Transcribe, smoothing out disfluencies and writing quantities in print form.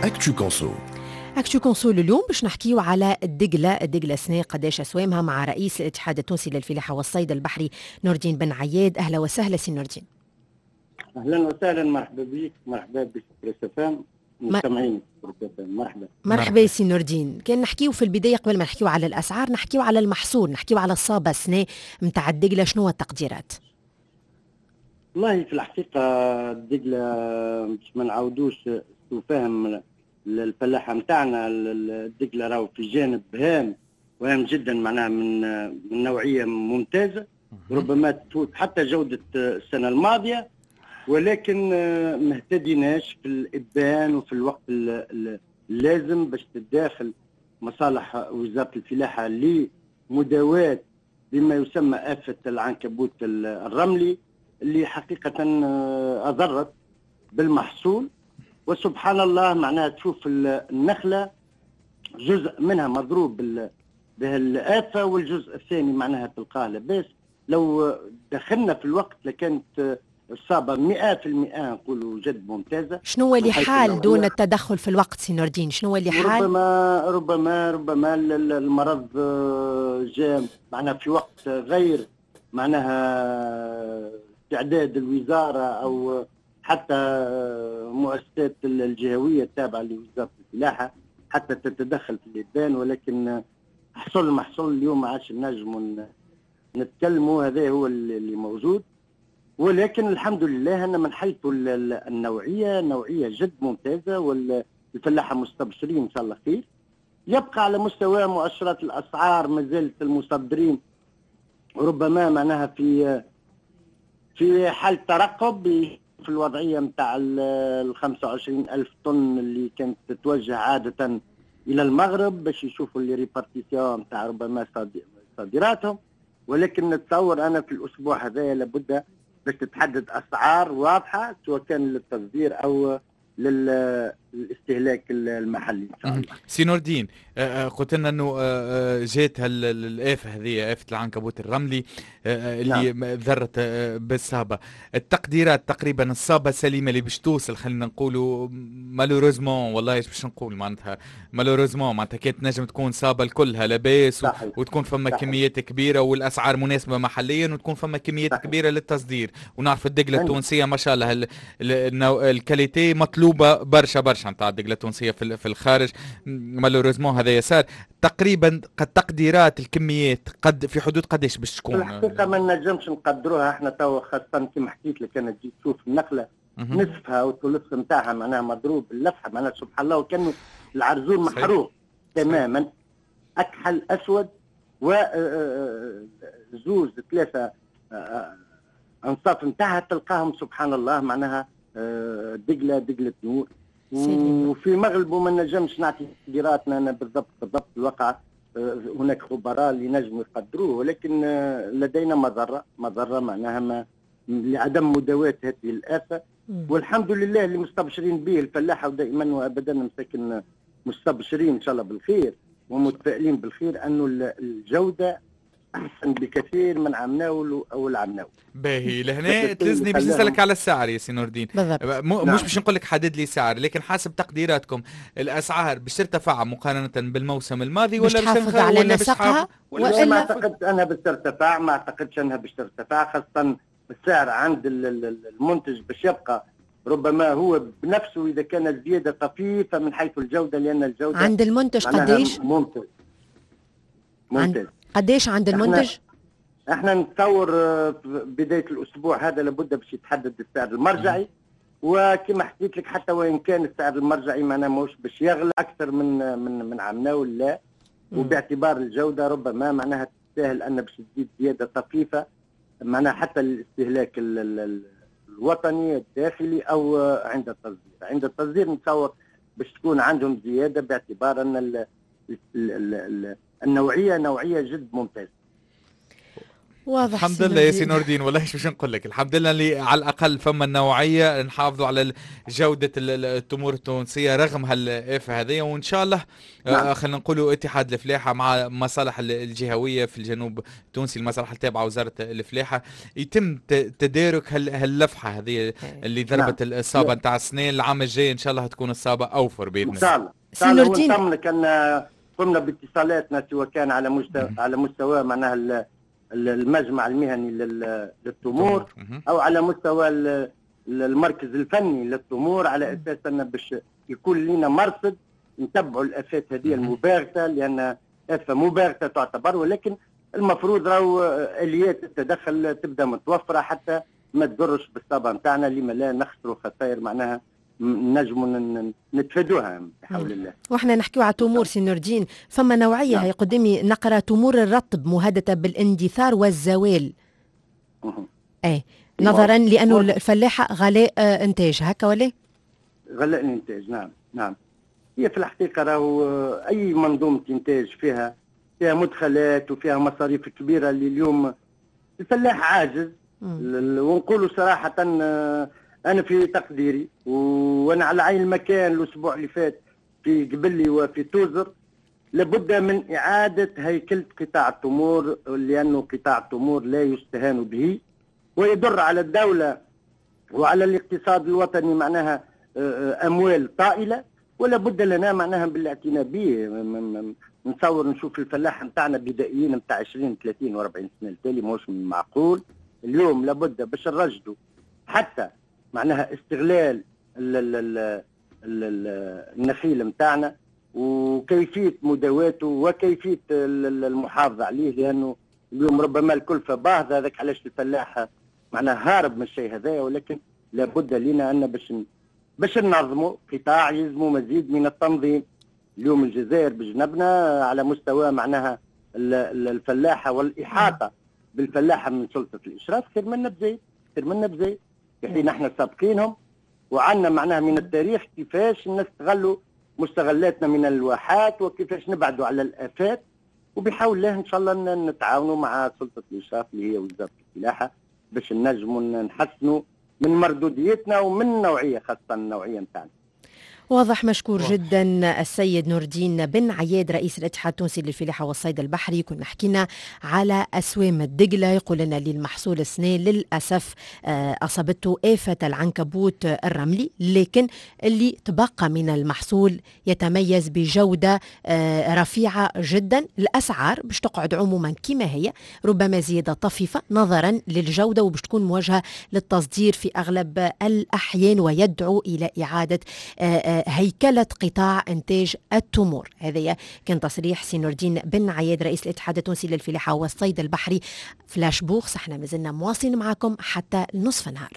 Actu Conso. Actu Conso اليوم باش نحكيو على الدقلة، الدقلة سنة قداش أسوامها، مع رئيس الاتحاد التونسي للفلاحة والصيد البحري نور الدين بن عياد. أهلا وسهلا سي نور الدين. أهلا وسهلا، مرحبا بك، مرحبا بك FM، مستمعين. مرحبا. مرحبا سي نور الدين. كان نحكيو في البداية قبل ما نحكيو على الأسعار، نحكيو على المحصول، نحكيو على الصابة سنة نتاع الدقلة، شنو التقديرات؟ والله في الحقيقة الدقلة باش ما نعاودوش فهم الفلاحة نتاعنا، الدقلة راهو في جانب هام وهام جدا، معناها من نوعية ممتازة، ربما تفوت حتى جودة السنة الماضية، ولكن ما اهتديناش في الإبان وفي الوقت اللازم باش تتداخل مصالح وزارة الفلاحة لمداواة بما يسمى آفة العنكبوت الرملي، اللي حقيقة أضرت بالمحصول. وسبحان الله معناها تشوف النخلة جزء منها مضروب بهالآفة، والجزء الثاني معناها تلقاه لاباس. لو دخلنا في الوقت لكانت الصابة 100% نقولوا جد ممتازة. شنو هو اللي حال دون التدخل في الوقت سي نور الدين؟ شنو هو اللي حال؟ ربما المرض جاء معناها في وقت غير معناها استعداد الوزارة أو حتى مؤسسات الجهوية التابعة لوزارة الفلاحة حتى تتدخل في الإبان، ولكن حصل محصول اليوم ما عادش نجموا نتكلموا، هذا هو اللي موجود. ولكن الحمد لله أن من حيث النوعية، نوعية جد ممتازة، والفلاحة مستبشرين إن شاء الله خير. يبقى على مستوى مؤشرات الأسعار ما زالت المصدرين ربما معناها في حال ترقب في الوضعية نتاع ال 25 ألف طن اللي كانت تتوجه عادة إلى المغرب باش يشوفوا les répartitions نتاع ربما صادراتهم. ولكن نتصور أنا في الأسبوع هذا لابد باش تتحدد أسعار واضحة سواء كان للتصدير أو للاستهلاك المحلي ان شاء الله. سي نور الدين، قلت لنا انه جات الآفة هذه، آفة العنكبوت الرملي اللي نعم. ذرت بالصابة. التقديرات تقريبا الصابة سليمة اللي باش توصل، خلينا نقولوا malheureusement، والله ايش باش نقول، معناتها malheureusement معناتها كانت نجم تكون صابة كلها لاباس وتكون فما كميات كبيرة والأسعار مناسبة محليا، وتكون فما كميات كبيرة للتصدير. ونعرف الدقلة التونسية ما شاء الله ال qualité مطلوبة برشا برشا نتاع الدقلة التونسية في الخارج. malheureusement هذا يسار. تقريبا قد تقديرات الكميات قد في حدود قداش باش تكون؟ الحقيقة ما نجمش نقدروها احنا توا، خاصة كما حكيت لك انا تجي تشوف النخلة نصفها او الثلث نتاعها معناها مضروب باللفحة، معناها سبحان الله وكانه العرزون محروق تماما، اكحل اسود، و زوز ثلاثة انصاف نتاعها تلقاهم سبحان الله معناها دقلة نور. وفي مغلبه ما نجمش نعطي تقديراتنا انا بالضبط الواقع، هناك خبراء اللي نجموا يقدروه، ولكن لدينا مضرة معناها ما لعدم مداواة هذه الآفة. والحمد لله اللي مستبشرين به الفلاحة، ودائما وابدا مساكن مستبشرين ان شاء الله بالخير ومتفائلين بالخير، انه الجودة احسن بكثير من عمناول او العمناول. باهي، لهنا تلزني باش نسالك على السعر يا سي نور الدين. مش باش نقول لك حدد لي سعر، لكن حسب تقديراتكم الاسعار باش ترتفع مقارنة بالموسم الماضي ولا باش تحافظ على نسقها؟ ولا ما اعتقد انها باش ترتفع، ما اعتقدش انها باش ترتفع، خاصة السعر عند المنتج باش يبقى ربما هو بنفسه اذا كان الزيادة طفيفة من حيث الجودة، لان الجودة عند المنتج قداش؟ ممتاز ممتاز. قداش عند المنتج؟ احنا نتصور بداية الاسبوع هذا لابد باش يتحدد السعر المرجعي، وكما حكيت لك حتى وان كان السعر المرجعي معناه ماهوش باش يغلى اكثر من عمناول، لا. وباعتبار الجودة ربما معناها تستاهل ان باش تزيد زيادة طفيفة معناها حتى الاستهلاك الوطني الداخلي او عند التصدير. عند التصدير نتصور باش تكون عندهم زيادة باعتبار ان النوعية نوعية جد ممتازة. واضح. الحمد لله يا سي نور الدين، والله ايش باش نقول لك، الحمد لله اللي على الاقل فما النوعية نحافظوا على جوده التمور التونسية رغم هالافه هذه، وان شاء الله نعم. خلينا نقولوا اتحاد الفلاحة مع مصالح الجهوية في الجنوب التونسي، المصالح التابعة وزارة الفلاحة، يتم تدارك هاللفحه هذه اللي ضربت نعم. الصابه نتاع السنة. العام الجاي ان شاء الله تكون الصابه اوفر باذن الله. ان شاء الله. سي نور الدين، ان قمنا باتصالاتنا سواء كان على مستوى معناها المجمع المهني للتمور او على مستوى المركز الفني للتمور، على اساس ان باش يكون لنا مرصد نتبعوا الافات هذه المباغته، لان افه مباغته تعتبر، ولكن المفروض راهو اليات التدخل تبدا متوفرة حتى ما تضرش بالصابه نتاعنا، لما لا نخسروا خسائر معناها نجموا نتفادوها بحول الله. واحنا نحكيو على تمور سي نور الدين، فما نوعية نعم. هي قدامي نقرا تمور الرطب مهددة بالاندثار والزوال. ايه نظرا لانه الفلاحة غلاء انتاج هكا ولا؟ غلاء الانتاج نعم نعم. هي في الحقيقة راهو اي منظومة انتاج فيها مدخلات وفيها مصاريف كبيرة اللي اليوم الفلاح عاجز. ونقولوا صراحة أنا في تقديري وأنا على عين المكان الأسبوع اللي فات في قبلي وفي توزر، لابد من إعادة هيكلة قطاع التمور، لأنه قطاع التمور لا يستهان به ويضر على الدولة وعلى الاقتصاد الوطني معناها أموال طائلة، ولا بد لنا معناها بالاعتناء به. نتصور نشوف الفلاح نتاعنا بدائيين نتاع 20 30 و40 سنة التالي ماهوش معقول. اليوم لابد باش نرشدوا حتى معناها استغلال النخيل نتاعنا وكيفية مداواته وكيفية المحافظة عليه، لانه اليوم ربما الكلفة باهظه، هذاك علاش الفلاح معناها هارب من الشيء هذايا، ولكن لابد لنا ان باش ننظموا قطاع يلزموا مزيد من التنظيم. اليوم الجزائر بجنبنا على مستوى معناها الفلاحة والاحاطة بالفلاحه من سلطة الاشراف خير منا بزايد، خير منا بزايد، في حين احنا سابقينهم وعندنا معناها من التاريخ كيفاش نستغلوا مستغلاتنا من الواحات وكيفاش نبعدوا على الافات، وبحول الله ان شاء الله نتعاونوا مع سلطة الاشراف اللي هي وزارة الفلاحة باش نجموا نحسنوا من مردوديتنا ومن النوعية، خاصة النوعية نتاعنا. واضح. مشكور جدا السيد نور الدين بن عياد رئيس الاتحاد التونسي للفلاحة والصيد البحري. كنا حكينا على أسوام الدقلة، يقول لنا اللي المحصول السنة للأسف أصابته آفة العنكبوت الرملي، لكن اللي تبقى من المحصول يتميز بجودة رفيعة جدا. الأسعار باش تقعد عموما كما هي، ربما زيادة طفيفة نظرا للجودة، وباش تكون موجهة للتصدير في أغلب الأحيان، ويدعو إلى إعادة هيكلة قطاع إنتاج التمور. هذا كان تصريح سي نور الدين بن عياد رئيس الاتحاد التونسي للفلاحة والصيد البحري. flash bourse، احنا مازلنا مواصلين معكم حتى نصف النهار.